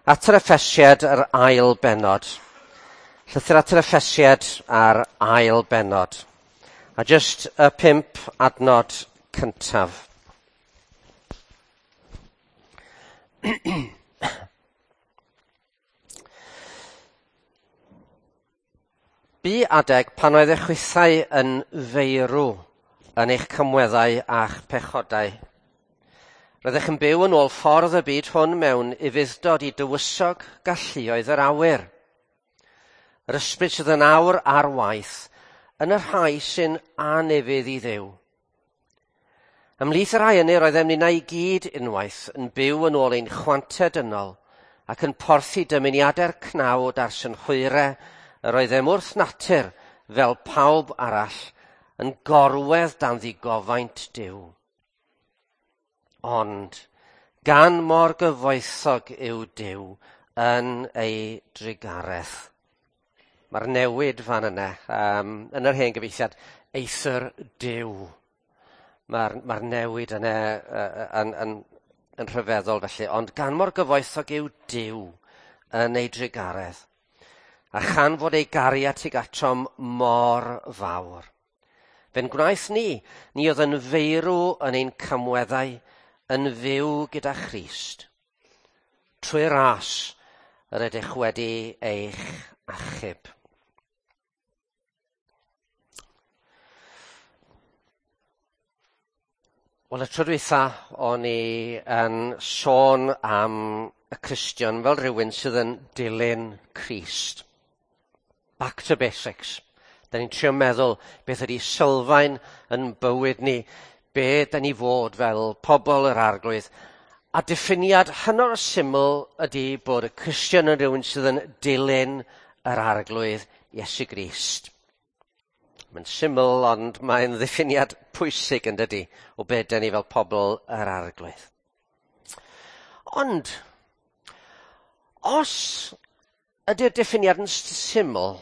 At yr Effesiad yr ail bennod. Llythyr at yr Effesiad a'r ail bennod. A jyst y 5 adnod cyntaf. Bu adeg pan oedd eich chwithau yn feirw yn eich camweddau a'ch pechodau. Roeddech yn byw yn ôl ffordd y byd hwn mewn ufudd-dod i dywysog galluoedd yr awyr. Yr ysbryd sydd yn awr ar waith yn y rhai sy'n anufudd i Dduw. Ymhlith y rhai hynny roeddem ninnau i gyd unwaith yn byw yn ôl ein chwantau dynol ac yn porthi dymuniadau'r cnawd a'r synhwyrau yr oeddem wrth natur fel pawb arall yn gorwedd dan ddigofaint Duw. Ond gan mor gyfoethog yw Duw yn ei drugaredd. Mae'r newid fan yna, yn yr hen gyfieithiad, eithr Duw. Mae'r newid yna yn rhyfeddol felly, ond gan mor gyfoethog yw Duw yn ei drugaredd, a chan fod ei gariad tuag atom mor fawr. Fe'n gwnaeth ni, ni oedd yn feirw yn ein camweddau, yn fyw gyda Christ. Trwy ras yr ydych wedi eich achub. Wel, y tro dwytha o'n i yn sôn am y Cristion fel rhywun sydd yn dilyn Crist. Back to basics. Da ni'n trio meddwl beth ydy sylfaen yn bywyd ni, be da ni fod fel pobl yr Arglwydd. A diffiniad hynod o syml ydy bod y Cristion yn rhywun sydd yn dilyn yr Arglwydd Iesu Grist. Mae'n syml, ond mae'n ddiffiniad pwysig yn dydy o be da ni fel pobl yr Arglwydd. Ond, os ydy'r diffiniad yn syml,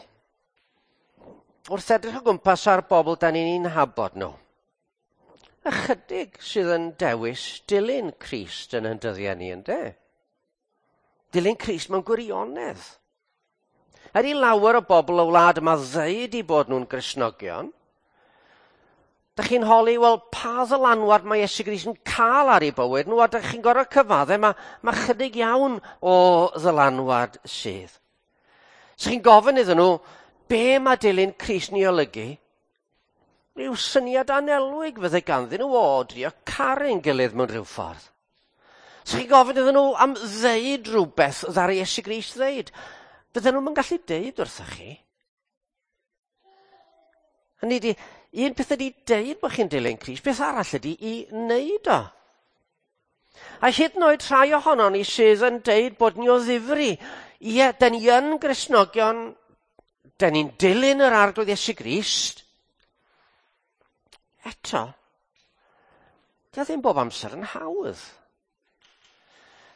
wrth edrych o gwmpas ar bobl da ni'n nabod nhw, ychydig sydd yn dewis dilyn Crist yn ein dyddiau ni, ynde? Dilyn Crist mewn gwirionedd. Er i lawer o bobl y wlad yma ddeud i bod nhw'n Gristnogion, dach chi'n holi, wel, pa ddylanwad mae Iesu Grist yn cael ar ei bywyd nhw, a dach chi'n gorfod cyfadde, mae chydig iawn o ddylanwad sydd. So chi'n gofyn iddyn nhw, be mae dilyn Crist ni olygu? Rhyw syniad anelwig fydde ganddyn nhw o drio caru'n gilydd mewn rhyw ffordd. So chi'n gofyn iddyn nhw am ddeud rhywbeth ddaru Iesu Grist ddeud. Fydden nhw'm yn gallu deud wrthych chi. Hynny ydi, un peth ydi deud bod chi'n dilyn Crist, beth arall ydi i wneud o. A hyd yn oed rhai ohonon ni sydd yn deud bod ni o ddifri, ie, da ni yn Gristnogion, da ni'n dilyn yr Arglwydd Iesu Grist. Eto, dio ddim bob amser yn hawdd.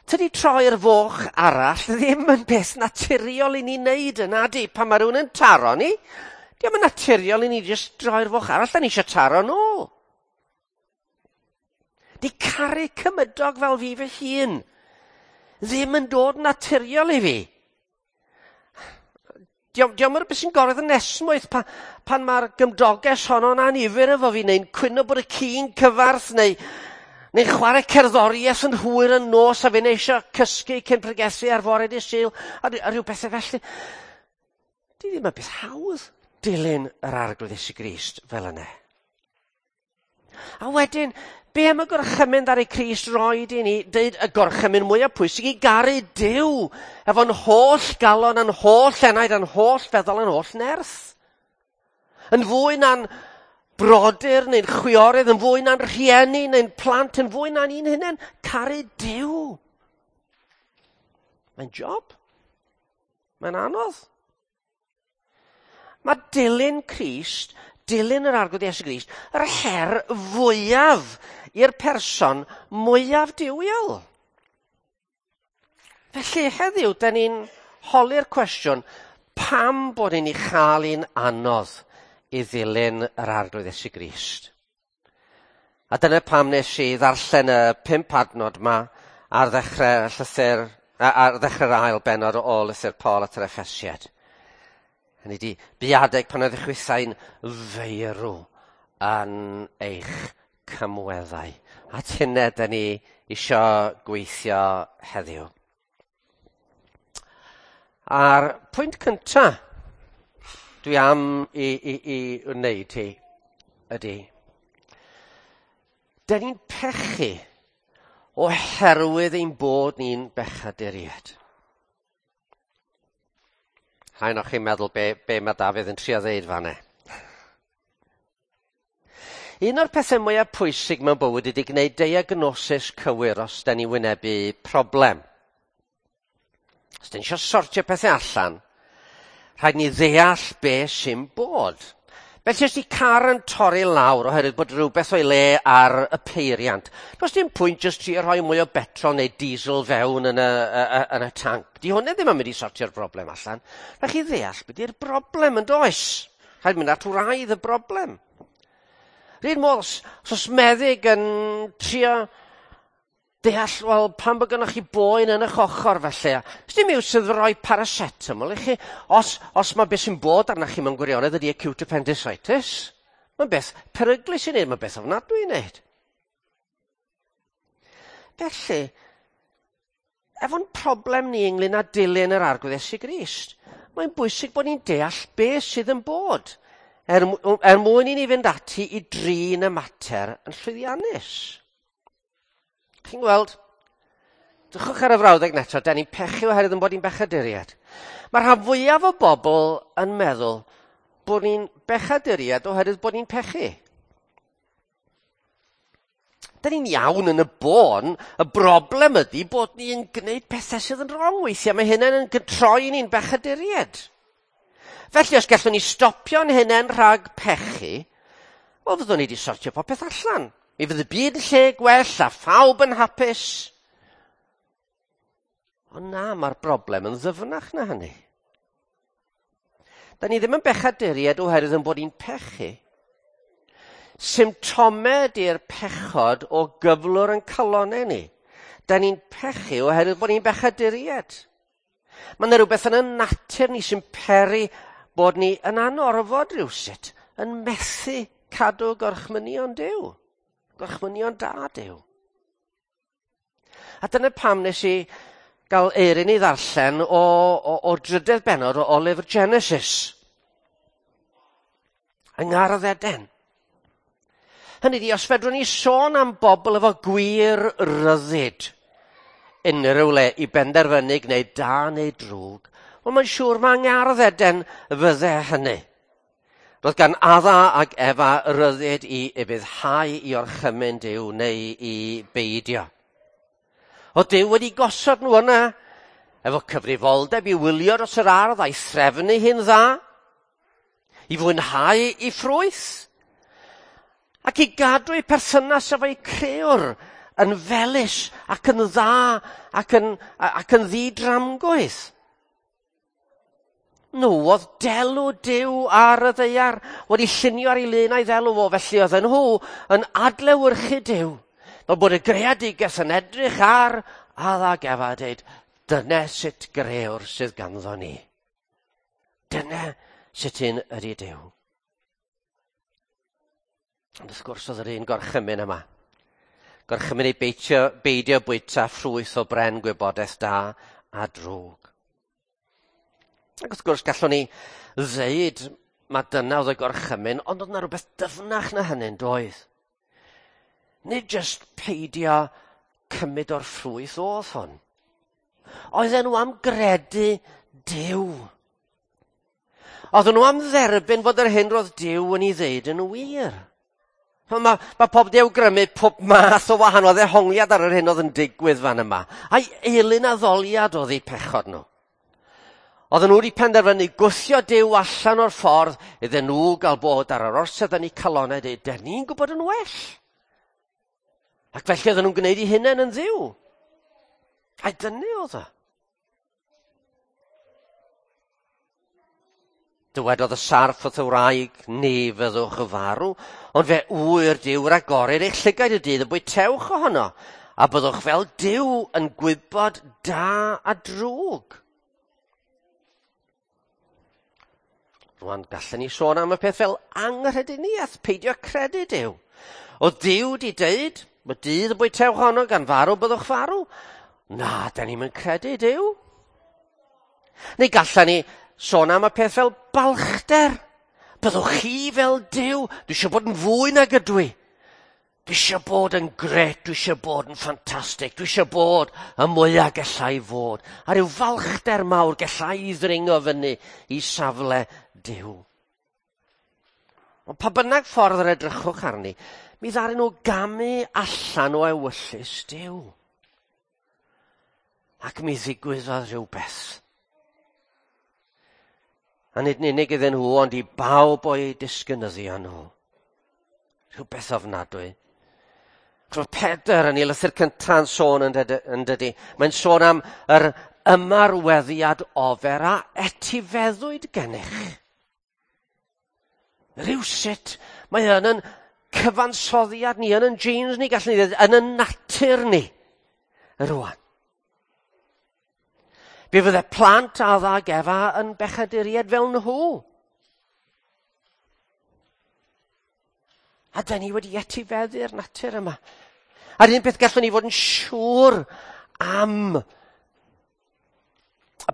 Tydi troi'r foch arall ddim yn beth naturiol i ni wneud yna, di? Pan mae rhywun yn taro ni, dio'm yn naturiol i ni jyst droi'r foch arall, da ni eisiau taro nôl. Di caru cymydog fel fi fy hun ddim yn dod naturiol i fi. Dio'm yn rhywbeth sy'n goredd yn esmwyth pan mae'r gymdoges honno'n anifyr efo fi, neu'n cwyno bod y ci'n cyfarth, neu'n chwarae cerddoriaeth yn hwyr yn nos a fi'n eisiau cysgu cyn pregethu ar fore dydd Sul, a rhyw bethau felly. Di ddim yn beth hawdd dilyn yr Arglwydd Iesu Grist fel yna. A wedyn, be am y gorchymyn ddaru Crist roed i ni, deud y gorchymyn mwyaf pwysig i garu Duw, efo'n holl galon, a'n holl enaid, a'n holl feddwl, a'n holl nerth. Yn fwy na'n brodyr neu'n chwiorydd, yn fwy na'n rhieni neu'n plant, yn fwy na'n un hunain, caru Duw. Mae'n job. Mae'n anodd. Mae dilyn Crist, dilyn yr Arglwydd Iesu Grist, yr her fwyaf i'r person mwyaf duwiol. Felly heddiw, da ni'n holi'r cwestiwn, pam bod ni'n ei chael hi'n anodd i ddilyn yr Arglwydd Iesu Grist? A dyna pam nes i ddarllen y 5 adnod ma ar ddechrau y llythyr Ar ddechrau'r ail bennod o lythyr Paul at yr Effesiad. Hynny di, bu adeg pan oedd eich chwithau'n feirw yn eich cymweddau. At hynny, da ni isio gweithio heddiw. A'r pwynt cyntaf dwi am i wneud hi ydy, da ni'n pechu oherwydd ein bod ni'n bechaduriaid. Rhaid o'ch chi'n meddwl be mae Dafydd yn trio ddeud fan'na. Un o'r pethau mwyaf pwysig mewn bywyd ydy gwneud diagnosis cywir os da ni'n wynebu problem. Os da ni eisiau sortio pethau allan, rhaid ni ddeall be sy'n bod. Felly os di car yn torri lawr oherwydd bod rhywbeth o'i le ar y peiriant, does dim pwynt jyst trio rhoi mwy o betrol neu diesel fewn yn y tanc. Di hwnna ddim yn mynd i sortio'r broblem allan. Rhaid chi ddeall beth yw'r broblem yn does. Rhaid mynd at wraidd y broblem. Rhyn modd, os oes meddyg yn trio deall, wel, pam bod gennych chi boen yn eich ochr felly? Os dim iws sydd roi paracetamol i chi, os mae beth sy'n bod arnoch chi mewn gwirionedd ydy acute appendicitis, mae'n beth peryglus i wneud, mae'n beth ofnadwy i wneud. Felly, efo'n problem ni ynglyn â dilyn yr Arglwydd Iesu Grist, mae'n bwysig bod ni'n deall beth sydd yn bod, er mwyn i ni fynd ati i drin y mater yn llwyddiannus. Chi'n gweld, drychwch ar y frawddeg neto, da ni'n pechu oherwydd yn bod ni'n bechaduriaid. Mae rhan fwyaf o bobl yn meddwl bod ni'n bechaduriaid oherwydd bod ni'n pechu. Da ni'n iawn yn y bôn, y broblem ydy bod ni'n gwneud pethau sydd yn wrong weithiau. Mae hynny'n yn troi ni'n bechaduriaid. Felly, os gallwn ni stopio'n hunain rhag pechu, wel, fyddwn ni wedi sortio popeth allan. Mi fydd y byd yn lle gwell a phawb yn hapus. Ond na, mae'r broblem yn ddyfnach na hynny. Da ni ddim yn bechaduriaid oherwydd yn bod ni'n pechu. Symptomau ydy'r pechod o gyflwr yn calonau ni. Da ni'n pechu oherwydd bod ni'n bechaduriaid. Mae yna rhywbeth yn y natur ni sy'n peri bod ni yn anorfod rhywsut, yn methu cadw gorchmynion Duw. Gorchmynion da Duw. A dyna pam nes i gael Eirin i ddarllen o'r drydedd bennod o lyfr Genesis. Yng Ngardd Eden. Hynny ydi, os fedrwn ni sôn am bobl efo gwir ryddid unrhyw le i benderfynu gwneud da neu drwg, wel mae'n siŵr mae Ngardd Eden fydde hynny. Roedd gan Adda ac Efa ryddid i ufuddhau i orchymyn Duw neu i beidio. Oedd Duw wedi gosod nhw yna efo cyfrifoldeb i wylio dros yr ardd a'i threfnu hi'n dda, i fwynhau ei ffrwyth, ac i gadw ei perthynas efo'i crëwr yn felys ac yn dda ac yn ddidramgwydd. Nhw oedd delw Duw ar y ddaear, wedi llunio ar ei lun a'i ddelw fo, felly oedden nhw yn adlewyrchu Duw. Fel bod y greadigaeth yn edrych ar Adda ac Efa a dweud, dyna sut grëwr sydd ganddo ni. Dyna sut un ydy Duw. Ond wrth gwrs oedd yr un gorchymyn yma. Gorchymyn i beidio bwyta ffrwyth o bren gwybodaeth da a drwg. Ac wrth gwrs gallwn ni ddeud mae dyna oedd y gorchymyn, ond oedd yna rhywbeth dyfnach na hynny'n doedd. Nid jyst peidio cymryd o'r ffrwyth oedd hwn. Oedden nhw am gredu Duw. Oedden nhw am dderbyn fod yr hyn roedd Duw yn ei ddeud yn wir. Mae pob di awgrymu pob math o wahanol ddehongliad ar yr hyn oedd yn digwydd fan yma. A'i eilun addoliad oedd eu pechod nhw. Oedden nhw wedi penderfynu gwthio Duw allan o'r ffordd iddyn nhw gael bod ar yr orsedd yn eu calonau dweud, "Dyn ni'n gwybod yn well." Ac felly oedden nhw'n gwneud eu hunain yn ddiw. Ai dyna oedd o. Dywedodd y sarff wrth y wraig, "Ni fyddwch farw, ond fe ŵyr Duw ragor eich llygaid y dydd y bwytewch ohono, A byddwch fel Duw yn gwybod da a drwg. Rwan, gallwn ni sôn am y peth fel anghrediniaeth, peidio credu Duw. Oedd Duw di deud, mae dydd y bwytewch honno gan farw byddwch farw. Na, da ni'n credu Duw. Neu gallwn ni sôn am y peth fel balchder. Byddwch chi fel Duw. Dwi eisiau bod yn fwy nag ydw i. Dwi eisiau bod yn gret, dwi eisiau bod yn ffantastig, dwi eisiau bod y mwyaf gallai fod. A rhyw falchder mawr gallai ddringo fyny i safle Duw. Ond pa bynnag ffordd yr edrychwch arni, mi ddaru nhw gamu allan o ewyllys Duw. Ac mi ddigwyddodd rhywbeth. A nid yn unig iddyn nhw, ond i bawb o'i disgynyddion nhw. Rhywbeth ofnadwy. Chos Pedr yn ei lythyr cyntaf yn sôn yn dydy. Mae'n sôn am yr ymarweddiad ofer a etifeddwyd gennych. Rhywsut, mae yn yn cyfansoddiad ni, yn yn genes ni, gallwn ni ddweud, yn yn natur ni, rwan. Fe fydde plant Adda ag Efa yn bechaduriaid fel nhw. A da ni wedi etifeddu'r natur yma. A'r un peth gallwn ni fod yn siŵr am y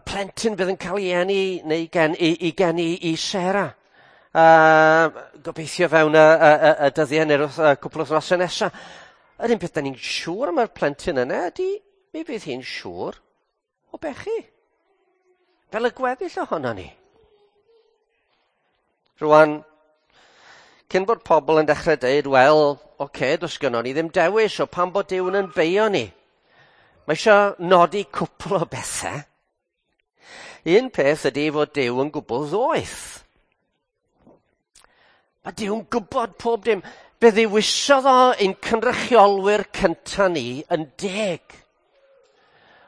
plentyn bydd yn cael ei eni neu gen, i, i geni i Sarah. Gobeithio fewn y, y, y, y dyddiau neu'r y cwpl o wythnosau nesaf. Yr un peth da ni'n siŵr am yr plentyn yna ydy mi fydd hi'n siŵr o bechu. Fel y gweddill ohono ni. Rwan, cyn bod pobl yn dechrau dweud, wel, oce, okay, does gynnon ni ddim dewis o pam bod Duw yn beio ni. Mae eisiau nodi cwpl o bethau. Un peth ydy fod Duw yn gwbl ddoeth. Mae Duw'n gwybod pob dim. Fe ddewisodd o ein cynrychiolwyr cynta ni yn deg.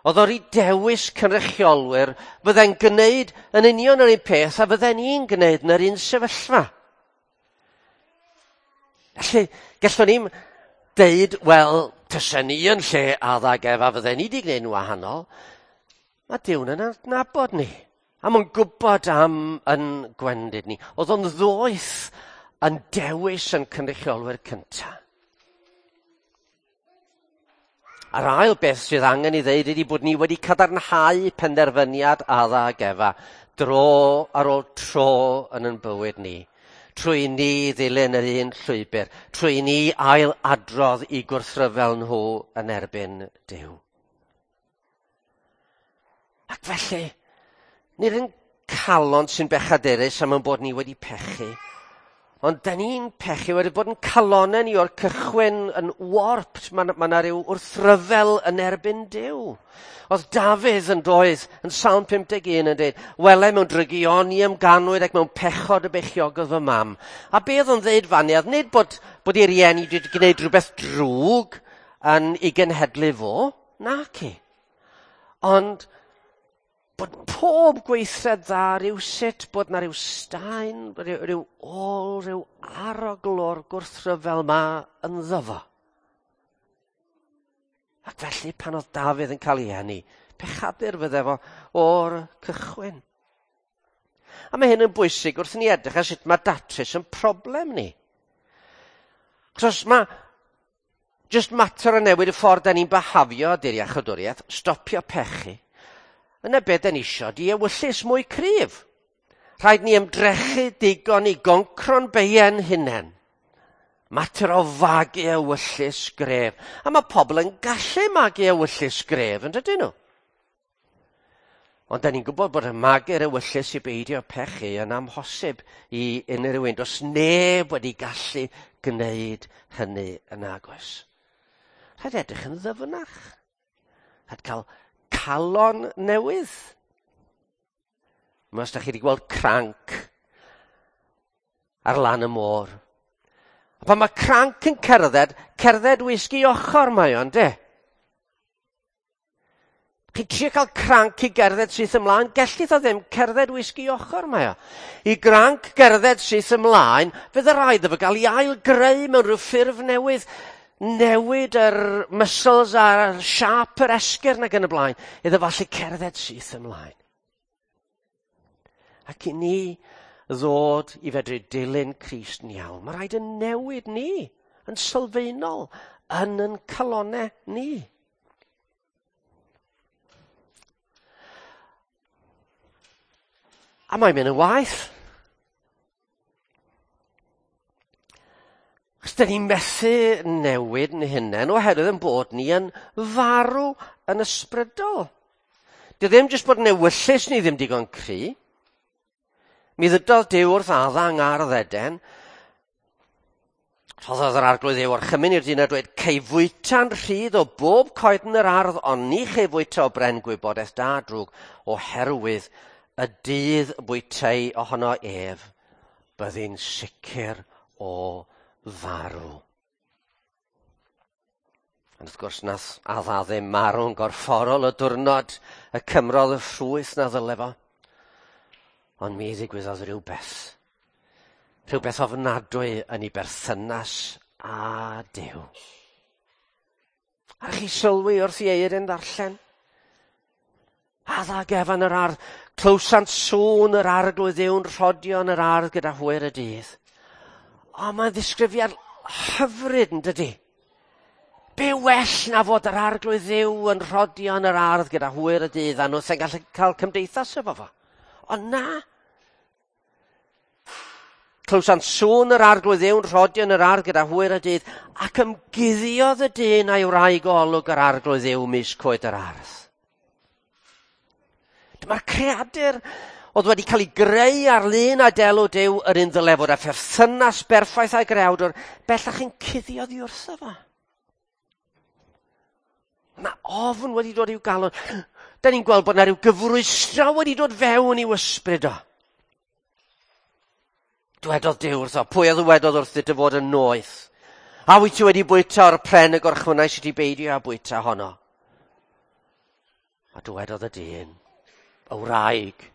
Oedd o'r dewis cynrychiolwyr fydde'n gwneud yn union yr un peth a fydden ni'n gwneud yn yr un sefyllfa. Felly, gallwn ni'n deud, wel, tysen ni yn lle Adda ag Efa, fydden ni wedi gwneud yn wahanol. Mae Duw'n yn adnabod ni. A mae'n gwybod am yn gwendid ni. Oedd o'n ddoeth yn dewis yn cynrychiolwyr cyntaf. A'r ail beth sydd angen i ddeud ydy bod ni wedi cadarnhau penderfyniad Adda ag Efa dro ar ôl tro yn yn bywyd ni. Trwy ni ddilyn yr un llwybr, trwy ni ail adrodd i gwrthryfel nhw yn erbyn Duw. Ac felly, nid yn calon sy'n bechadurus am ein bod ni wedi pechu, ond da ni'n pechu wedi bod yn calonau ni o'r cychwyn yn warped. Mae ma yna rhyw wrthryfel yn erbyn Duw. Oedd Dafydd yn doedd yn Salm 51 yn dweud, wele mewn drygioni ymganwyd ac mewn pechod y bechiogodd fy mam. A be oedd o'n dweud fannu, oedd nid bod, bod ei rieni wedi gwneud rhywbeth drwg yn ei genhedlu fo, naci. Ond bod pob gweithred dda rhywsut, bod na rhyw staen, rhyw, rhyw ôl, rhyw arogl o'r gwrthryfel ma ynddo fo. Ac felly pan oedd Dafydd yn cael ei eni, pechadur fydde fo o'r cychwyn. A mae hyn yn bwysig wrth ni edrych ar sut mae datrys yn problem ni. Achos mae just mater o newid y ffordd da ni'n byhafio di'r iachawdwriaeth, stopio pechu. Yna be da ni isio, di ewyllys mwy cryf. Rhaid ni ymdrechu digon i goncro'n beien hunain. Mater o fagu ewyllys gref. A mae pobl yn gallu magu ewyllys gref, yn dydyn nhw? Ond da ni'n gwybod bod y magu'r ewyllys i beidio pechu yn amhosib i unrhyw un. Does neb wedi gallu gwneud hynny yn agos. Rhaid edrych yn ddyfnach. Rhaid cael calon newydd. Mae os da chi wedi gweld cranc ar lan y môr. A pan mae cranc yn cerdded, cerdded wisgi ochr mae o'n de. Chi'n trio cael cranc i gerdded syth ymlaen, gellith o ddim cerdded wisgi ochr mae o. I granc gerdded syth ymlaen, fydd y rhaid iddo fo gael ei ail greu mewn rhyw ffurf newydd. newid yr muscles a'r siâp yr esgyrn ac yn y blaen, iddo fo allu cerdded syth ymlaen. Ac i ni ddod i fedru dilyn Crist yn iawn, mae rhaid yn newid ni yn sylfaenol yn yn calonau ni. A mae'n mynd yn waeth. Chos dyn ni'n methu newid yn hunain oherwydd yn bod ni yn farw yn ysbrydol. Di ddim jyst bod yn ewyllys ni ddim digon cry. Mi ddydodd Duw wrth Adda yng Ngardd Eden, rhoddodd yr arglwydd Dduw orchymyn i'r dyn a dweud, cei fwyta'n rhydd o bob coed yn yr ardd, ond ni chei fwyta o bren gwybodaeth da drwg, oherwydd y dydd bwytei ohono ef, byddi'n sicr o farw. Ond wrth gwrs nath Adda ddim marw'n gorfforol y diwrnod y cymrodd y ffrwyth na ddyle fo. Ond mi ddigwyddodd rhywbeth. Rhywbeth ofnadwy yn ei berthynas â Duw. A chi sylwi wrth i Eirin ddarllen? Adda gefn yr ardd, clywsant sŵn yr arglwydd Dduw'n rhodio yn yr ardd gyda hwyr y dydd. O, mae'n ddisgrifiad hyfryd yn dydy? Be well na fod yr arglwydd Dduw yn rhodio yn yr ardd gyda hwyr y dydd a nhw sy'n gallu cael cymdeithas efo fo. Ond na. Clywsant sŵn yr arglwydd Dduw'n rhodio yn yr ardd gyda hwyr y dydd ac ymguddiodd y dyn a'i wraig o olwg yr arglwydd Dduw mis coed yr ardd. Dyma'r creadur oedd wedi cael ei greu ar lun a delw Duw, yr un ddyle fod â pherthynas berffaith â'i greawdwr, bellach yn cuddio oddi wrtho fo. Mae ofn wedi dod i'w galon. Da ni'n gweld bod yna rhyw gyfrwystra wedi dod fewn i'w ysbryd o. Dwedodd Duw wrtho, pwy a ddywedodd wrth dy fod yn noeth? A wyt ti wedi bwyta o'r pren y gorchwynnais i ti beidio â bwyta honno? A dywedodd y dyn, y wraig,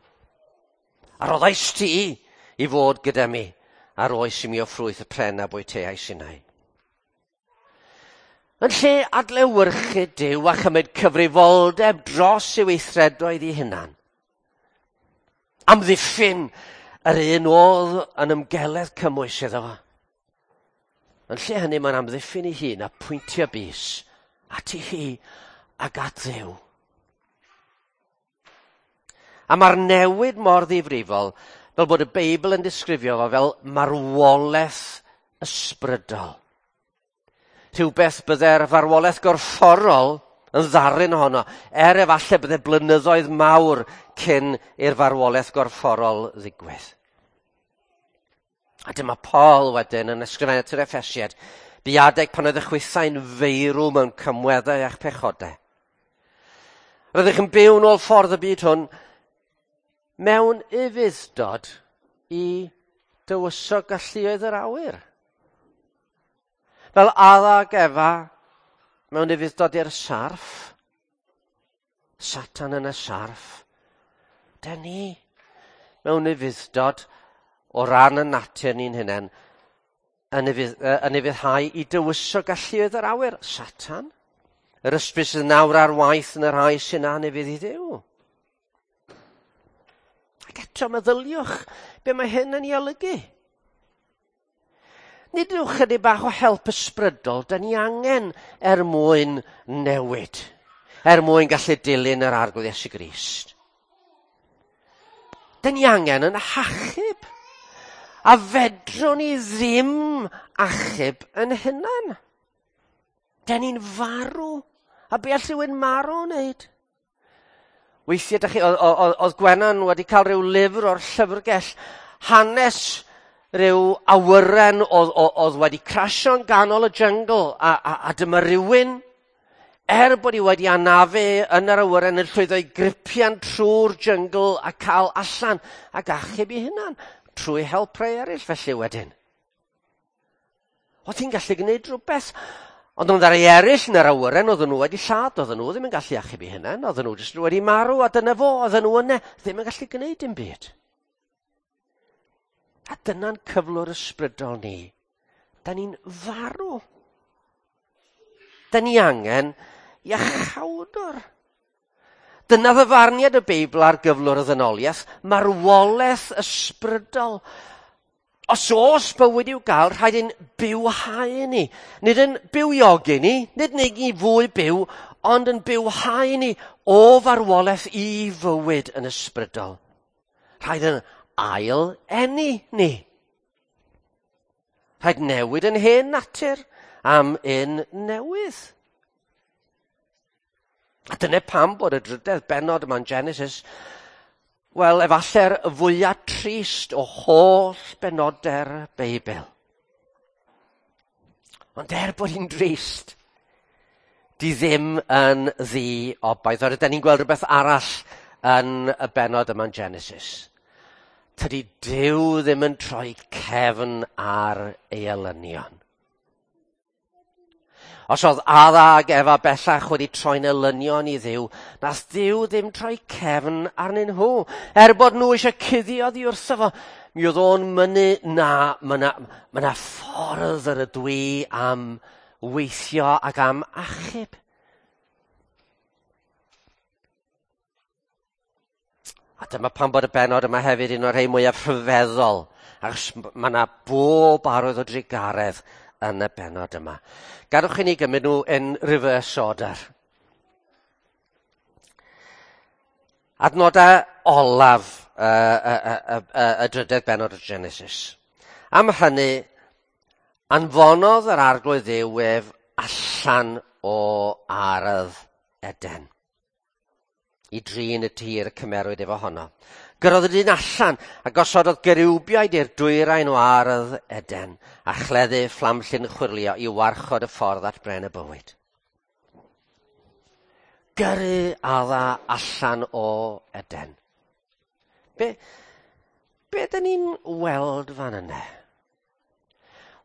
a roddais ti i fod gyda mi, a roes i mi o ffrwyth y pren a bwyteais innau. Yn lle adlewyrchu Duw a chymryd cyfrifoldeb dros ei weithredoedd ei hunan, amddiffyn yr un oedd yn ymgeledd cymwys iddo fo. Yn lle hynny mae'n amddiffyn ei hun a pwyntio bys at ei hi ac at Dduw. A mae'r newid mor ddifrifol fel bod y Beibl yn disgrifio fo fel marwolaeth ysbrydol. Rhywbeth bydde'r farwolaeth gorfforol yn ddarun ohono, er efallai bydde blynyddoedd mawr cyn i'r farwolaeth gorfforol ddigwydd. A dyma Paul wedyn yn ysgrifennu at yr Effesiaid, bu adeg pan oedd y chwithau'n feirw mewn cymweddau a'ch pechodau. Rydych yn byw nôl ffordd y byd hwn mewn ufudd-dod i dywysog galluoedd yr awyr. Fel Adda ac Efa mewn ufudd-dod i'r sarff, Satan yn y sarff, da ni mewn ufudd-dod o ran y natur ni'n hunain yn ufuddhau i dywysog galluoedd yr awyr, Satan. Yr ysbryd sydd nawr ar waith yn y rhai sy'n anufudd i Dduw. Ac eto meddyliwch be mae hyn yn ei olygu. Nid yw chydig bach o help ysbrydol da ni angen er mwyn newid, er mwyn gallu dilyn yr Arglwydd Iesu Grist. Da ni angen yn hachub. A fedrwn ni ddim achub yn hunan. Da ni'n farw. A be all rhywun marw wneud? Weithiau, da chi, oedd Gwenan wedi cael rhyw lyfr o'r llyfrgell, hanes rhyw awyren oedd wedi crasio'n ganol y jyngl, a dyma rhywun, er bod hi wedi anafu yn yr awyren, yn llwyddo i gripian trwy'r jyngl a cael allan ac achub ei hunan trwy help rhai eraill felly wedyn. Oedd hi'n gallu gwneud rhywbeth, ond oedd rhai eraill yn yr awyren, oedden nhw wedi lladd, oedden nhw ddim yn gallu achub eu hunain, oedden nhw jyst wedi marw, a dyna fo, oedden nhw yna, ddim yn gallu gwneud dim byd. A dyna'n cyflwr ysbrydol ni. Da ni'n farw. Da ni angen iachawdwr. Dyna ddyfarniad y Beibl ar gyflwr y ddynoliaeth, marwolaeth ysbrydol. Os oes bywyd i'w gael, rhaid ein bywhau ni. Nid yn bywiogi ni, nid wneud ni fwy byw, ond yn bywhau ni o farwolaeth i fywyd yn ysbrydol. Rhaid yn ail eni ni. Rhaid newid yn hen natur am un newydd. A dyna pam bod y drydedd bennod yma'n Genesis, wel, efallai'r fwyaf trist o holl benodau'r Beibl. Ond er bod hi'n drist, di ddim yn ddi-obaith. Oherwydd, da ni'n gweld rhywbeth arall yn y bennod yma'n Genesis. Tydi Duw ddim yn troi cefn ar ei elynion. Os oedd Adda ac Efa bellach wedi troi'n elynion i Dduw, nath Duw ddim troi cefn arnyn nhw. Er bod nhw eisiau cuddio oddi wrtho fo, mi oedd o'n mynnu na, mae yna ma ffordd yr ydw i am weithio ac am achub. A dyma pam bod y bennod yma hefyd un o'r rhai mwyaf rhyfeddol, achos mae yna bob arwydd o drugaredd yn y bennod yma. Gadwch i ni gymryd nhw in reverse order. Adnodau olaf y, y, y, y, y drydedd bennod o Genesis. Am hynny, anfonodd yr arglwydd Dduw ef allan o ardd Eden i drin y tir y cymerwyd efo honno. Gyrrodd y dyn allan a gosododd geriwbiaid i'r dwyrain o ardd Eden a chleddu fflamllyn chwyrlio i warchod y ffordd at bren y bywyd. Gyrru Adda allan o Eden. Be, be dyn ni'n weld fan yna?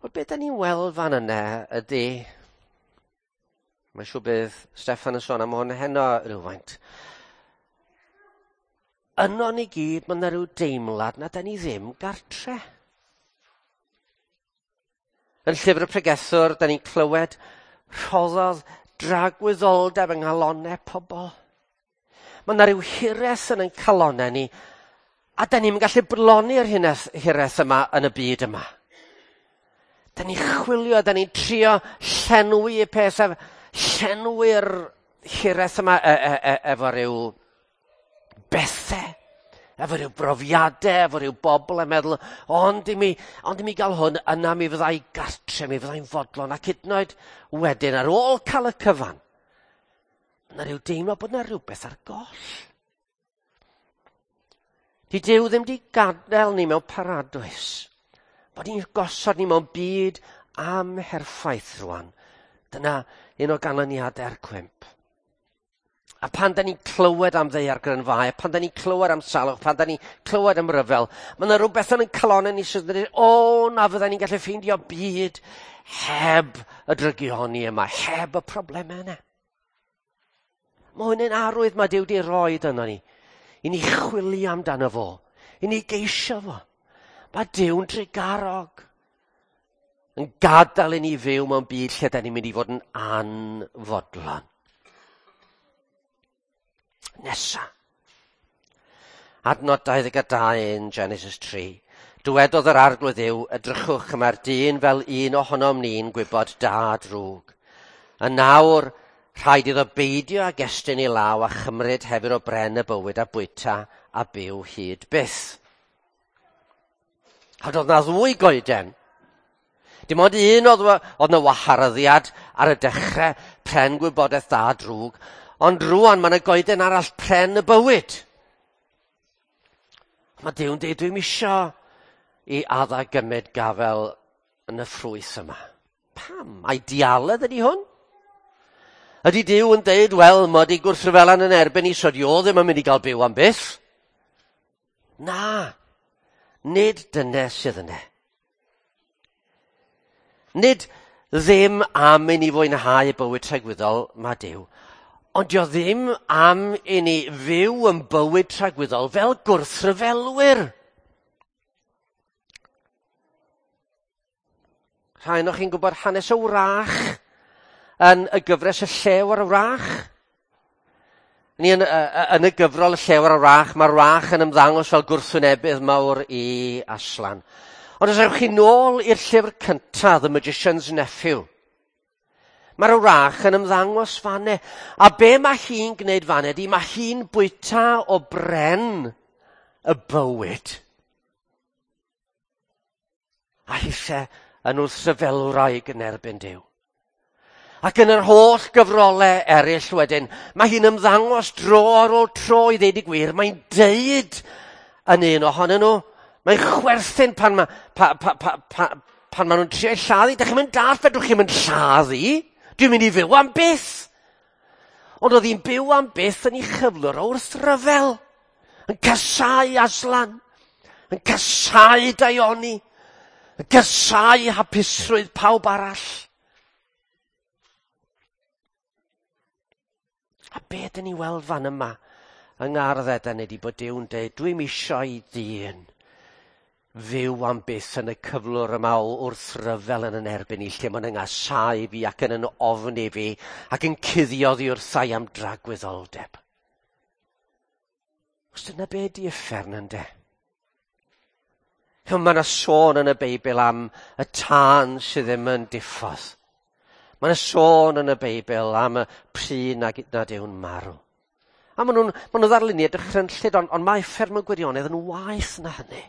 Wel, be dyn ni'n weld fan yna ydy... Mae'n siŵr bydd Steffan yn sôn am hwn heno rhywfaint. Yno ni gyd, mae yna rhyw deimlad na da ni ddim gartre. Yn llyfr y pregethwr, da ni'n clywed rhoddodd dragwyddoldeb yng nghalonau pobl. Mae yna rhyw hiraeth yn ein calonau ni, a da ni'n gallu broloni'r hiraeth yma yn y byd yma. Da ni'n chwilio, da ni'n trio llenwi y peth, llenwi'r hiraeth yma e, e, e, efo rhyw bethau, efo rhyw brofiadau, efo rhyw bobl yn meddwl, ond i mi, ond i mi gael hwn, yna mi fyddai gartre, mi fyddai'n fodlon, ac hyd yn oed wedyn, ar ôl cael y cyfan, yna rhyw deimlo bod yna rhywbeth ar goll. Di Duw ddim di gadael ni mewn paradwys. Bod ni'n gosod ni mewn byd amherffaith rwan. Dyna un o ganlyniadau'r cwymp. A pan da ni'n clywed am ddaeargrynfâu, pan da ni'n clywed am salwch, pan da ni'n clywed am ryfel, mae yna rhywbeth yn ein calonau ni sydd yn dweud, o, na fydda ni'n gallu ffeindio byd heb y drygioni yma, heb y problemau yna. Mae hwn yn arwydd mae Duw wedi rhoi yno ni, i ni chwilio amdano fo, i ni geisio fo. Mae Duw'n drugarog yn gadael i ni fyw mewn byd lle da ni'n mynd i fod yn anfodlon. Nesa. Adnod 22 yn Genesis 3. Dywedodd yr arglwydd Dduw, edrychwch, mae'r dyn fel un ohonom ni'n gwybod da a drwg. A nawr, rhaid iddo beidio ag estyn ei law a chymryd hefyd o bren y bywyd a bwyta a byw hyd byth. A doedd na ddwy goeden. Dim ond un oedd, oedd na waharddiad ar y dechrau, pren gwybodaeth da a drwg, ond rwan mae yna goeden arall, pren y bywyd. Mae Duw'n dweud, dwi'm isio i Adda gymryd gafel yn y ffrwyth yma. Pam? Ai dialedd ydy hwn? Ydy Duw yn deud, wel, mae di gwrthryfelan yn erbyn i, so di o ddim yn mynd i gael byw am byth? Na, nid dyna sydd yna. Nid ddim am i ni fwynhau bywyd tragwyddol, mae Duw, ond dio ddim am i ni fyw yn bywyd tragwyddol fel gwrthryfelwyr. Rhai o'ch chi'n gwybod hanes y wrach yn y gyfres Y Llew a'r Wrach? Ni yn y gyfrol Y Llew a'r Wrach, mae'r wrach yn ymddangos fel gwrthwynebydd mawr i Aslan. Ond os ewch chi nôl i'r llyfr cyntaf, The Magician's Nephew, mae'r wrach yn ymddangos fanne. A be mae hi'n gwneud fanne ydy, mae hi'n bwyta o bren y bywyd. A hithe yn wrthryfelwraig yn erbyn Duw. Ac yn yr holl gyfrolau eraill wedyn, mae hi'n ymddangos dro ar ôl tro i ddeud y gwir. Mae'n deud yn un ohonyn nhw. Mae'n chwerthin pan mae pa, pa, pa, pa, pan ma nhw'n trio ei lladdu. Dych chi'n mynd dall, fedrwch chi'n mynd lladdu. Dwi'n mynd i fyw am byth. Ond oedd hi'n byw am byth yn ei chyflwr o wrthryfel. Yn casau Aslan. Yn casau Daioni. Yn casau hapusrwydd pawb arall. A be dyn ni weld fan yma yng ngardd Eden ydy bod Duw'n deud, dwi'm isio i ddyn fyw am byth yn y cyflwr yma o wrthryfel yn yn erbyn i, lle mae'n yngasau fi ac yn yn ofni fi ac yn cuddio ddi wrthai am dragwyddoldeb. Os dyna be di uffern ynde? Mae yna sôn yn y Beibl am y tân sydd ddim yn diffodd. Mae yna sôn yn y Beibl am y pry nad yw'n marw. A maen nhw'n ma nhw ddarluniau dychrynllyd, ond mae uffern mewn gwirionedd yn waeth na hynny.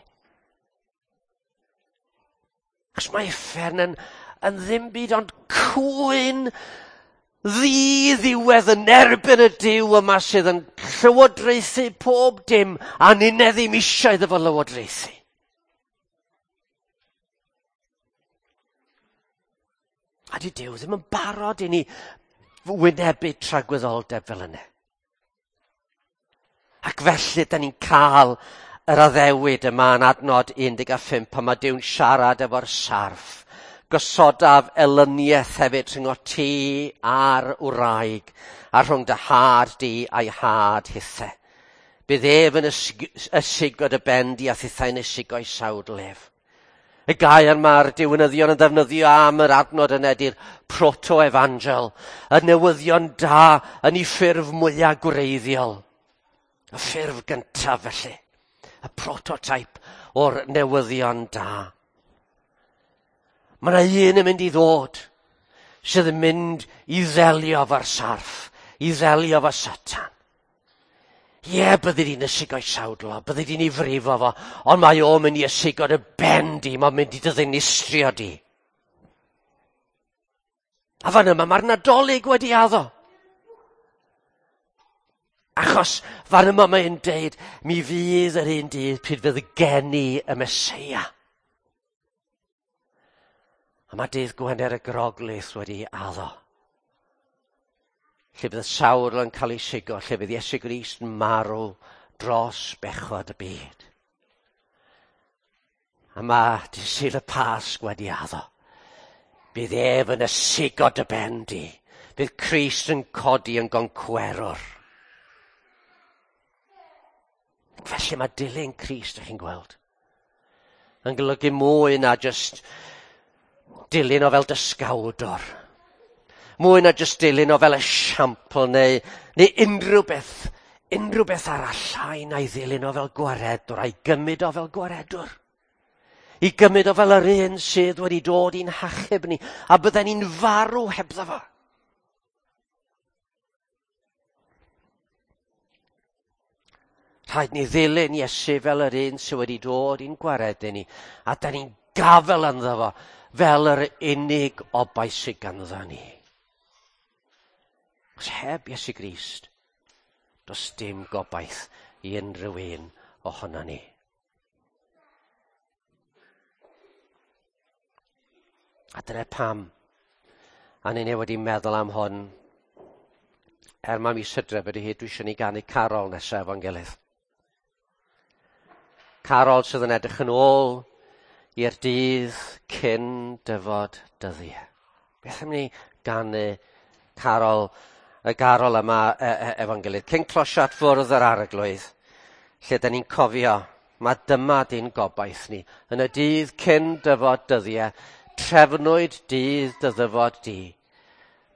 Achos mae uffern yn ddim byd ond cwyn ddi-ddiwedd yn erbyn y Duw yma sydd yn llywodraethu pob dim a ninne ddim eisiau iddo fo lywodraethu. A di Duw ddim yn barod i ni wynebu tragwyddoldeb fel yna. Ac felly, da ni'n cael yr addewid yma yn adnod 15 pan mae Duw'n siarad efo'r sarff. Gosodaf elyniaeth hefyd rhwng o ti a'r wraig a rhwng dy had di a'i had hithe. Bydd ef yn ysigo dy ben di a thithau'n ysigo'i sawdl ef. Y gair mae'r diwinyddion yn ddefnyddio am yr adnod yna ydy'r proto-evangel, y newyddion da yn ei ffurf mwyaf gwreiddiol. Y ffurf gyntaf felly, y prototype o'r newyddion da. Mae yna un yn mynd i ddod sydd yn mynd i ddelio efo'r sarff, i ddelio efo Satan. Ie, byddi di'n ysigo'i sawdl o, byddi di'n ei frifo fo, ond mae o'n mynd i ysigo dy ben di, mae'n mynd i dy ddinistrio di. A fan yma mae'r Nadolig wedi addo. Achos fan yma mae'n deud, mi fydd yr un dydd pryd fydd geni y Meseia. A mae dydd Gwener y Groglith wedi addo. Lle bydd y sawrl yn cael ei sigo, lle bydd Iesu Grist yn marw dros bechod y byd. A mae dydd Sul y Pasg wedi addo. Bydd ef yn ysigo dy ben di. Bydd Crist yn codi yn goncwerwr. Felly mae dilyn Crist, ych chi'n gweld, yn golygu mwy na jyst dilyn o fel dysgawdor. Mwy na jyst dilyn o fel esiampl neu unrhyw beth arall llai na'i ddilyn o fel gwaredwr, a'i gymryd o fel gwaredwr. I gymryd o fel yr un sydd wedi dod i'n hachub ni, a bydden ni'n farw hebddo fo. Rhaid ni ddilyn Iesu fel yr un sydd wedi dod i'n gwaredu ni, a da ni'n gafel ynddo fo fel yr unig obaith sydd ganddo ni. Os heb Iesu Grist, does dim gobaith i unrhyw un ohono ni. A dyna pam, a ni wedi meddwl am hwn, er mae mis Hydref ydy hi, dwi eisiau ni ganu carol nesaf efo'n gilydd. Carol sydd yn edrych yn ôl i'r dydd cyn dyfod dyddiau. Beth am ni ganu carol, y garol yma efo'n gilydd? Cyn closio at fwrdd yr arglwydd, lle da ni'n cofio, mae dyma di'n gobaith ni. Yn y dydd cyn dyfod dyddiau, trefnwyd dydd dy ddyfod di.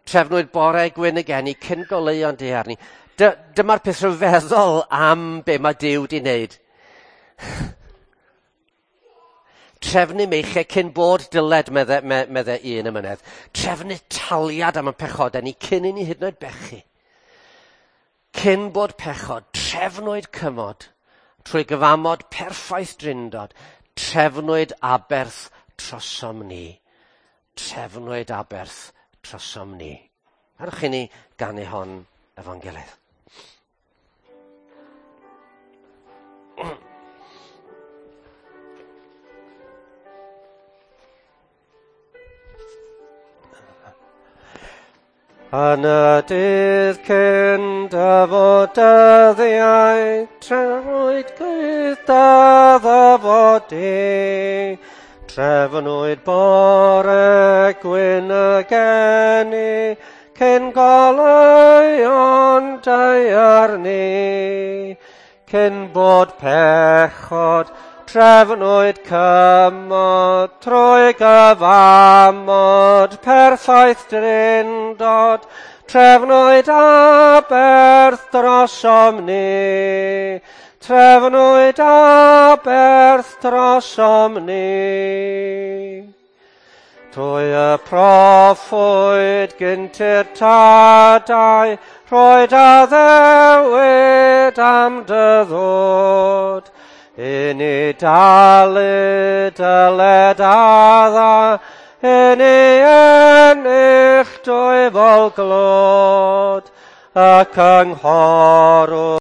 Trefnwyd bore gwyn y geni cyn goleuo'n daear ni. Dyma'r peth rhyfeddol am be mae Duw 'di wneud. Trefnu meichiau cyn bod dyled, medde un emynydd. Trefnu taliad am y pechodau ni cyn i ni hyd yn oed bechu. Cyn bod pechod, trefnwyd cymod trwy gyfamod perffaith drindod. Trefnwyd aberth trosom ni. Trefnwyd aberth trosom ni. Arwch i ni ganu hon efo'n gilydd. Yn y dydd cyn dyfod dyddiau, trefnwyd gyda ddyfod di. Trefnwyd bore gwyn y geni, cyn goleuon daear ni. Cyn bod pechod, trefnwyd cymod, trwy gyfamod, perffaith drindod, trefnwyd aberth drosom ni. Trefnwyd aberth drosom ni. Trwy y proffwyd gynt i'r tadau, rhoed addewid am dy ddod. I ni dalu dyled adda, i ni ennill dwyfol glod, y cynghorwr.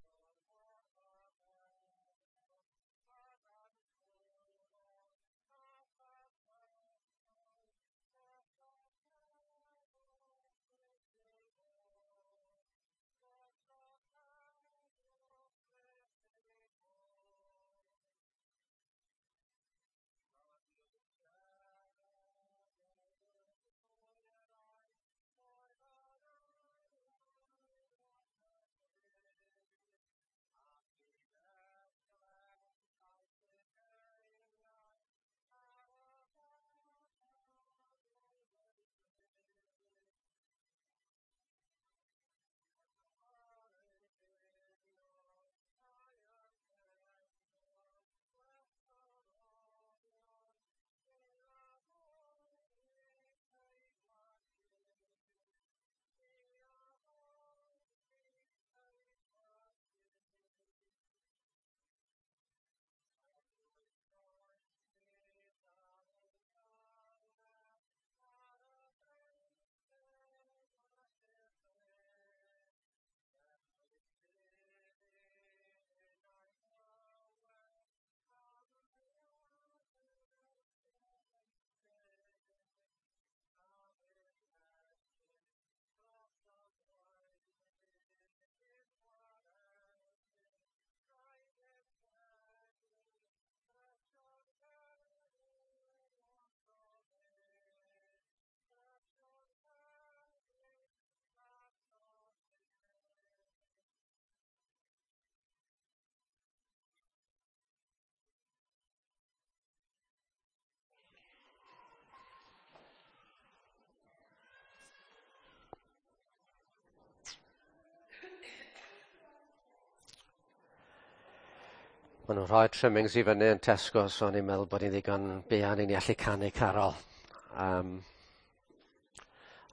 Maen nhw'n rhoi trimmings i fyny yn Tesco, so o'n i'n meddwl bod ni'n ddigon buan i ni allu canu carol.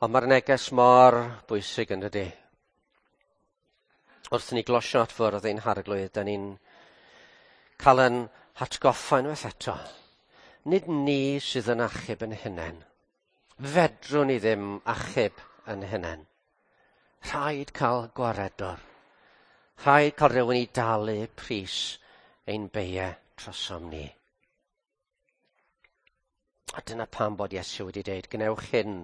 Ond mae'r neges mor bwysig yn dydi. Wrth ni glosio at fwrdd ein harglwydd, da ni'n cael yn hatgoffa unwaith eto. Nid ni sydd yn achub yn hunain. Fedrwn ni ddim achub yn hunain. Rhaid cael gwaredwr. Rhaid cael rhywun i dalu pris ein beiau trosom ni. A dyna pam bod Iesu wedi dweud, gwnewch hyn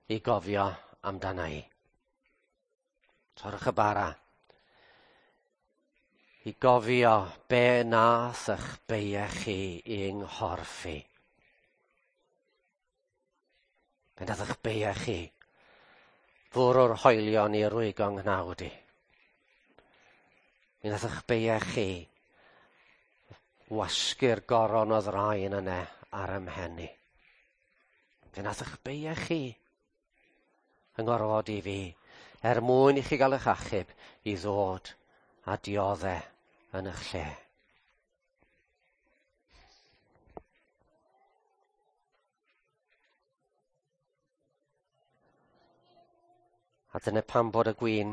i gofio amdana i. Torrwch y bara. I gofio be nath eich beiau chi i'n nghorff i. Be nath eich beiau chi fwrw'r hoelion i rwygo nghnawd i. Mi nath eich beiau chi wasgu'r goron o ddraen yna ar ym mhen i. Fe nath eich beiau chi. yng ngorfod i fi, er mwyn i chi gael eich achub i ddod a diodde yn eich lle. A dyna pam bod y gwin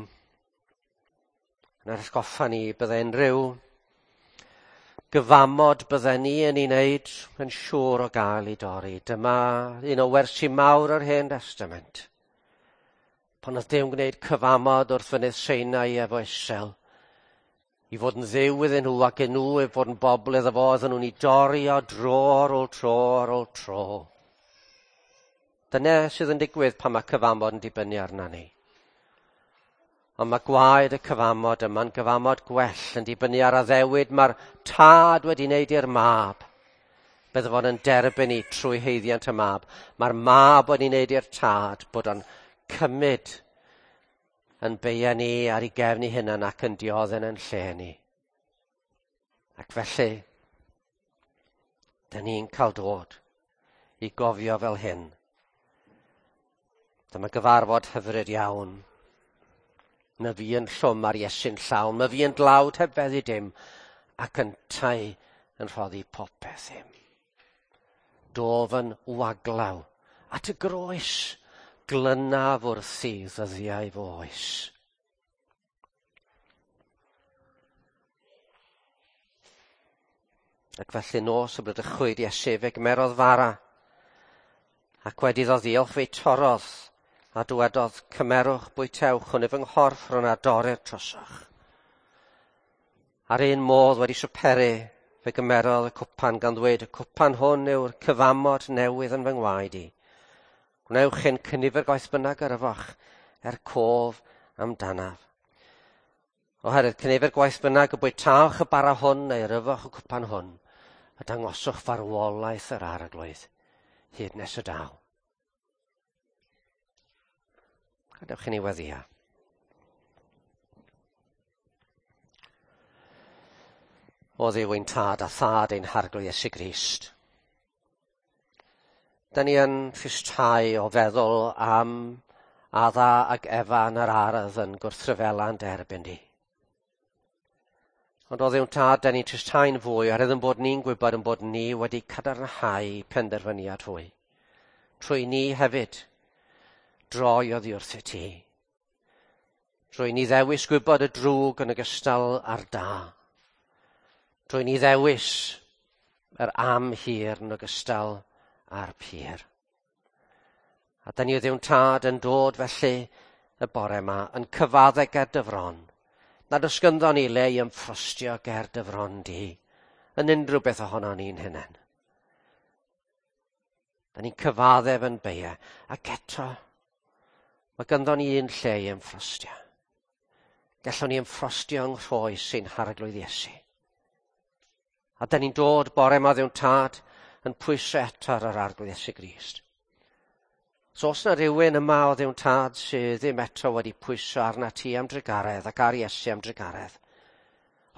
yn atgoffa ni bydde unrhyw gyfamod bydden ni yn ei wneud yn siŵr o gael ei dorri. Dyma un o wersi mawr yr Hen Testament. Pan oedd Duw'n gwneud cyfamod wrth fynydd Sinai efo Israel, i fod yn ddiw iddyn nhw ac yn nhw i fod yn bobl iddo fo, oedden nhw'n ei dorri o dro ar ôl tro ar ôl tro. Dyna sydd yn digwydd pan mae cyfamod yn dibynnu arna ni. Ond mae gwaed y cyfamod yma'n gyfamod gwell yn dibynnu ar addewid mae'r tad wedi wneud i'r mab. Bydde fo'n yn derbyn i trwy haeddiant y mab. Mae'r mab wedi wneud i'r tad bod o'n cymryd yn beia ni ar ei gefn ei hunan ac yn dioddef yn lle ni. Ac felly, dyn ni'n cael dod i gofio fel hyn. Dyma gyfarfod hyfryd iawn. Na fi yn llwm ar Iesu'n llawn, ma fi yn dlawd heb feddu dim, ac yntau yn rhoddi popeth im. Dof yn waglaw at y groes, glynaf wrthi ddyddiau fy oes. Ac felly nos y bradychwyd Iesu fe gymerodd fara, ac wedi iddo ddiolch fe'i torrodd, a dywedodd, cymerwch, bwytewch, hwn yw fy nghorff rhwng a dorrir trosoch. Ar un modd wedi swperu, fe gymerodd y cwpan gan ddweud, y cwpan hwn yw'r cyfamod newydd yn fy ngwaed i. Gwnewch hyn cynifer gwaith bynnag yr yfoch, er cof amdanaf. Oherwydd cynifer gwaith bynnag y bwytawch y bara hwn neu'r yfoch y cwpan hwn, a dangoswch farwolaeth yr arglwydd, hyd nes y daw. Gadewch i ni weddïo. O Dduw ein tad a thad ein harglwydd Iesu Grist. Da ni yn tristau o feddwl am Adda ac Efa yn yr ardd yn gwrthryfela'n derbyn di. Ond o Dduw tad, da ni'n tristau'n fwy oherwydd yn bod ni'n gwybod yn bod ni wedi cadarnhau penderfyniad hwy. Trwy ni hefyd droi oddi wrth ti. Trwy ni ddewis gwybod y drwg yn ogystal â'r da. Trwy ni ddewis yr am hir yn ogystal â'r pur. A da ni o Dduw'n tad yn dod felly y bore yma yn cyfadde ger dy fron. Nad oes gynddon ni le i ymffrostio ger dy fron di yn unrhyw beth ohono ni'n hunain. Da ni'n cyfaddef yn beia ac eto mae gynddon ni un lle i ymffrostio. Gallwn ni ymffrostio yng nghroes ein harglwydd Iesu. A da ni'n dod bore yma Dduw'n tad yn pwyso eto ar yr arglwydd Iesu Grist. So os na rhywun yma o Dduw'n tad sydd ddim eto wedi pwyso arna ti am drugaredd ac ar Iesu am drugaredd,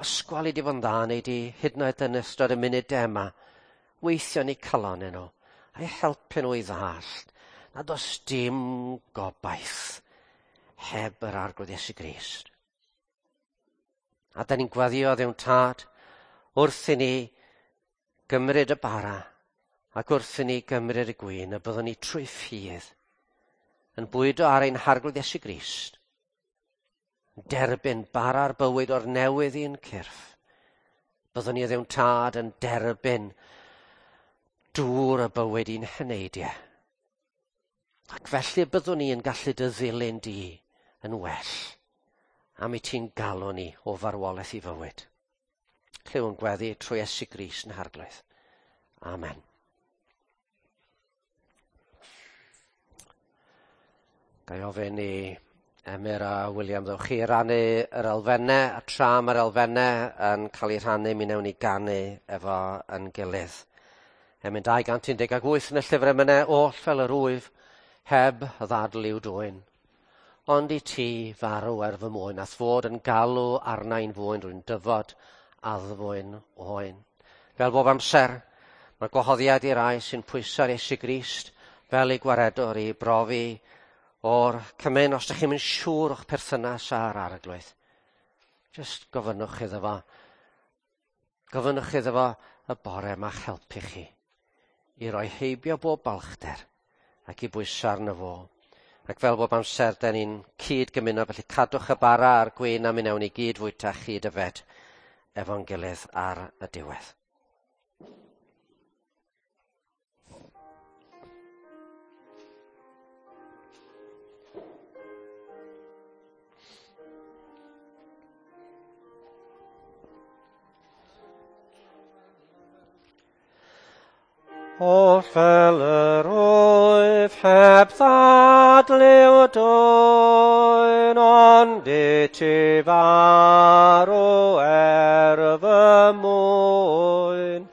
os gweli di fod yn dda neu di hyd yn oed yn ystod y munudau yma, weithio ni calon nhw, a'i helpu nhw i ddallt nad oes dim gobaith heb yr arglwydd Iesu Grist. A da ni'n gweddïo Dduw'n tad wrth i ni gymryd y bara ac wrth i ni gymryd y gwin y byddwn ni trwy ffydd yn bwydo ar ein harglwydd Iesu Grist, yn derbyn bara'r bywyd o'r newydd i'n cyrff. Byddwn ni Dduw'n tad yn derbyn dŵr y bywyd i'n heneidiau. Ac felly byddwn ni yn gallu dy ddilyn di yn well am i ti'n galw ni o farwolaeth i fywyd. Clywn gweddi trwy Iesu Grist yn harglwydd. Amen. Ga i ofyn i Emyr a William ddewch chi rannu yr elfennau, a tra mae'r elfennau yn cael eu rhannu, mi wnewn ni ganu efo yn gilydd. Emyn 218 yn y llyfr emynau, oll fel yr wyf, heb ddadl i'w dwyn. Ond i ti farw er fy mwyn, a'th fod yn galw arna i'n fwyn, rwy'n dyfod addfwyn oen. Fel bob amser, mae gwahoddiad i'r rai sy'n pwyso ar Iesu Grist fel ei gwaredwr i brofi o'r cymun, os ydych chi'n mynd siŵr o'ch perthynas â'r Arglwydd, jyst gofynnwch iddo fo. Gofynnwch iddo fo y bore ma'ch helpu chi i roi heibio bob balchder ac i bwyso arno fo. Ac fel bob amser, da ni'n cyd gymuno, felly cadwch y bara a'r gwin a mi wnawn ni gyd fwyta chyd yfed efo'n gilydd ar y diwedd. Oll fel yr wyf heb ddadl yw dwyn, ond i ti farw er fy mwyn,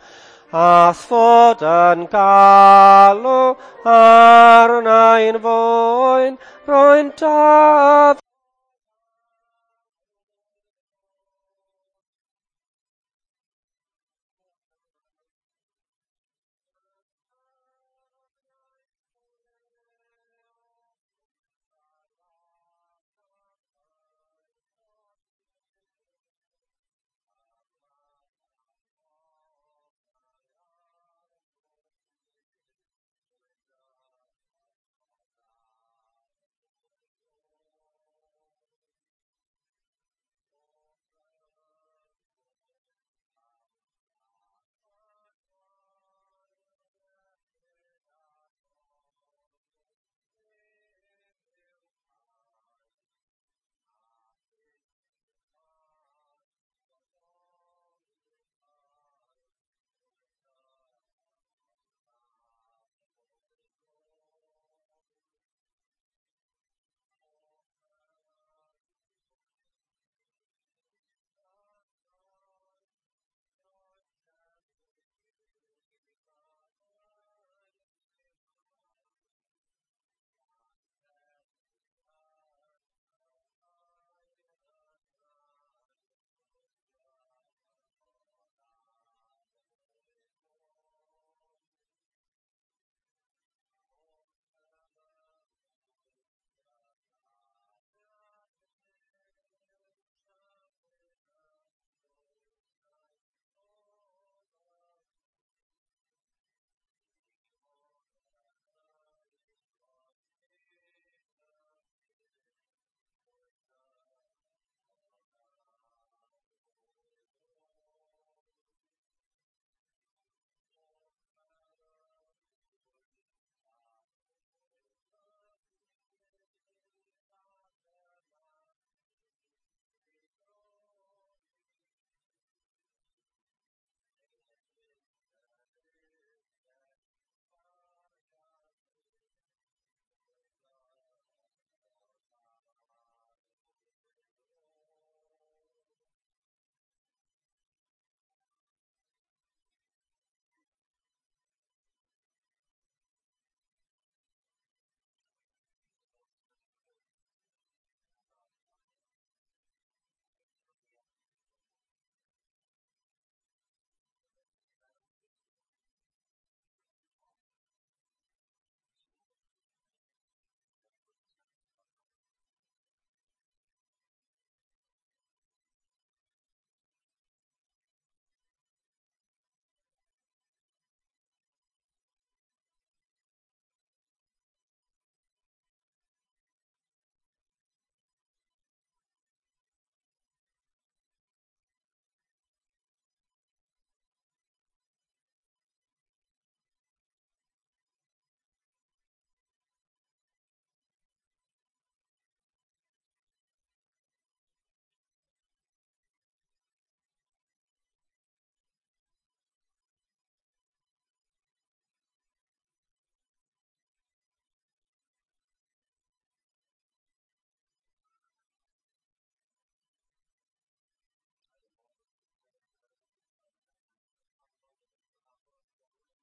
a'th fod yn galw arnai'n fwyn, rwy'n daf.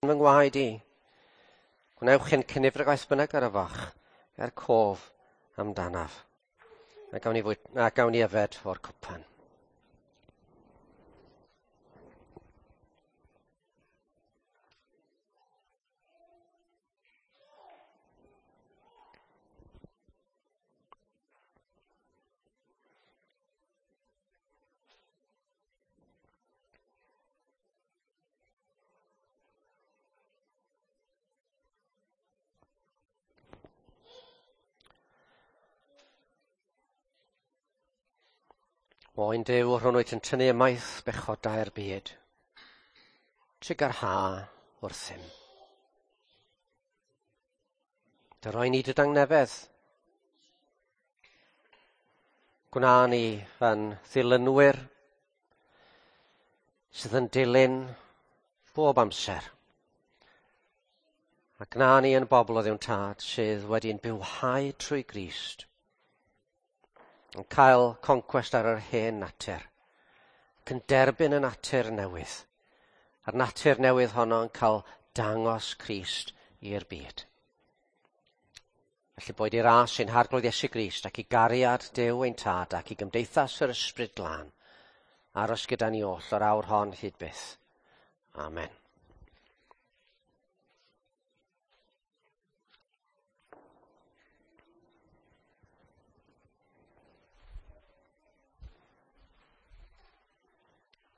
Fy ngwaed i. Gwnewch hyn cynifer o gwaith bynnag ar y fach, er cof amdanaf. A gawn ni, fwy, a gawn ni yfed o'r cwpan. Oen Duw, rhwng wyt yn tynnu ymaith bechodau'r byd. Trugarha wrthym. Dy roi ni dy dangnefedd. Gwna ni yn ddilynwyr sydd yn dilyn bob amser. A gwna ni yn bobl o Dduw'n Tad sydd wedi'n bywhau trwy Grist, yn cael concwest ar yr hen natur, ac yn derbyn y natur newydd, a'r natur newydd honno yn cael dangos Crist i'r byd. Felly boed i ras ein Harglwydd Iesu Grist ac i gariad Duw ein Tad ac i gymdeithas yr Ysbryd Glân aros gyda ni oll o'r awr hon hyd byth. Amen.